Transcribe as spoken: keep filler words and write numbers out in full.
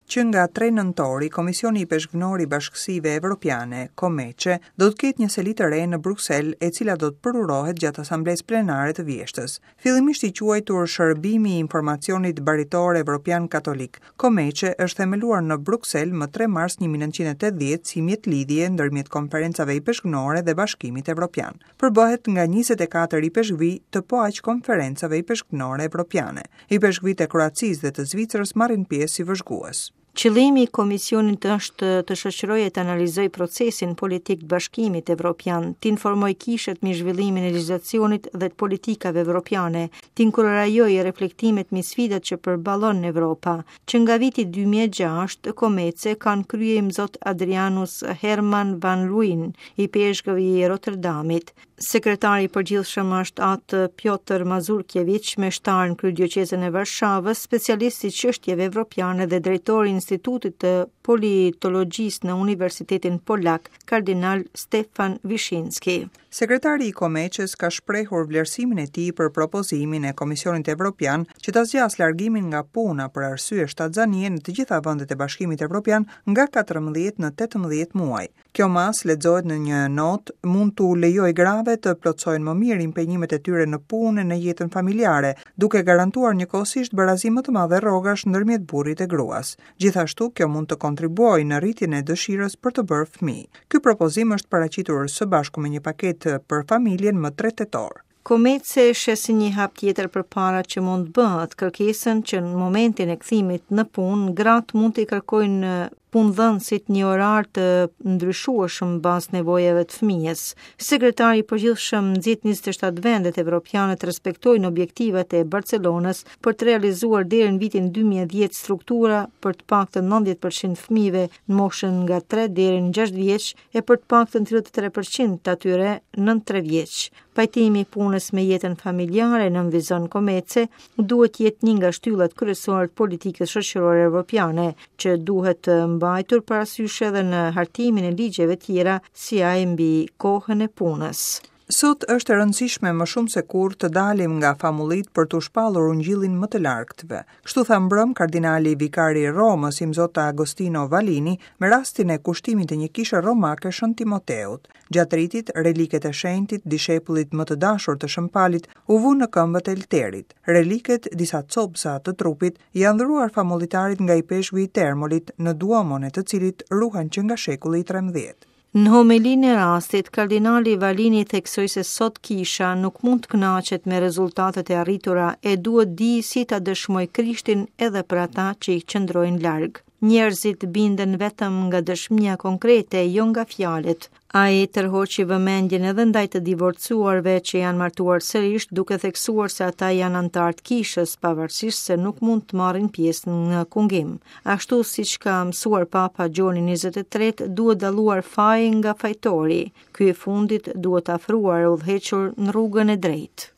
Që nga tre nëntori, Komisioni Ipeshkvnor i Bashkësive Evropiane, COMECE, do të ketë një seli të re në Bruksel, e cila do të përurohet gjatë asamblesë plenare të vjeshtës. Fillimisht i quajtur Shërbimi i Informacionit Baritor Evropian Katolik, COMECE është themeluar në Bruksel më tre mars një mijë e nëntëqind e tetëdhjetë si mjet lidhje ndërmjet konferencave ipeshkvnore dhe Bashkimit Evropian. Përbëhet nga njëzet e katër ipeshkvi të po aq konferencave ipeshkvnore evropiane. Ipeshkvit e Kroacisë dhe të Zvicrës marrin pjesë si vëzhgues. Qëllimi i komisionit është të shoqërojë e të analizojë procesin politik të Bashkimit Evropian, të informojë kishat mbi zhvillimin e legjislacionit dhe të politikave evropiane, të inkurajojë reflektimet mbi sfidat që përballon Evropa. Që nga viti dy mijë e gjashtë, COMECE kanë krye imzot Adrianus Herman van Luyn, ipeshkëv i Rotterdamit. Sekretari i përgjithshëm është atë Piotr Mazurkiewicz, meshtar në kryedioqezën e Varshavës, specialist i çështjeve evropiane dhe drejtor i Institutit të Politologjisë në Universitetin Polak, Kardinal Stefan Vishinski. Sekretari i COMECE-s ka shprehur vlerësimin e tij për propozimin e Komisionit Evropian që ta zgjasë largimin nga puna për arsye shtatzanie në të gjitha vendet e Bashkimit Evropian nga katërmbëdhjetë në tetëmbëdhjetë muaj. Kjo masë lexohet në një notë mund t'u lejojë grave të plotësojnë më mirë impenjimet e tyre në punë e në jetën familjare, duke garantuar njëkohësisht barazi më të madhe rrogash ndërmjet burrit e gruas. Gjithashtu, kjo mund të kontribuojë në rritjen e dëshirës për të bërë fëmijë. Ky propozim është paraqitur së bashku me një paketë për familjen më tre tetor. COMECE sheh si një hap tjetër përpara që mund të bëhet kërkesën që në momentin e kthimit në punë, gratë mund t'i kërkojnë punëdhënësit një orar të ndryshueshëm në bazë nevojave të fëmijës. Sekretari i përgjithshëm nxit njëzet e shtatë vendet evropiane të respektojnë objektivat e Barcelonës për të realizuar deri në vitin dy mijë e dhjetë struktura për të paktën nëntëdhjetë përqind fëmijëve në moshën nga tre deri në gjashtë vjeç e për të paktën tridhjetë e tre përqind të atyre nën tre vjeç. Pajtimi i punës me jetën familjare në vizon COMECE duhet jetë një nga shtyllat kryesore të politikës shoqërore evropiane, që duhet të mbajtur parasysh edhe në hartimin e ligjeve tjera si ai mbi kohën e punës. Sot është e rëndësishme më shumë se kurrë të dalim nga famullit për t'u shpallur ungjillin më të largëtëve. Kështu tha mbrëm kardinali vikari i Romës, imzot Agostino Vallini, me rastin e kushtimit të një kishe romake Shën Timoteut. Gjatë ritit, reliket e shenjtit, dishepullit më të dashur të Shën Palit, u vunë në këmbët e lterit. Reliket, disa copëza të trupit, janë dhuruar famullitarit nga ipeshkvi i Termolit, në duomon e të cilit ruhen që nga shekulli i trembëdhjetë. Në homelinë e rastit, kardinali Vallini theksoi se sot kisha nuk mund të kënaqet me rezultatet e arritura e duhet di si ta dëshmoj Krishtin edhe për ata që i qëndrojnë larg. Njerëzit binden vetëm nga dëshmia konkrete, jo nga fjalët. Ai tërhoqi vëmendjen edhe ndaj të divorcuarve që janë martuar sërish, duke theksuar se ata janë anëtarë të kishës, pavarësisht se nuk mund të marrin pjesë në kungim. Ashtu siç ka mësuar Papa Gjoni njëzet e tretë, duhet dalluar faji nga fajtori. Ky i fundit duhet afruar e udhëhequr në rrugën e drejtë.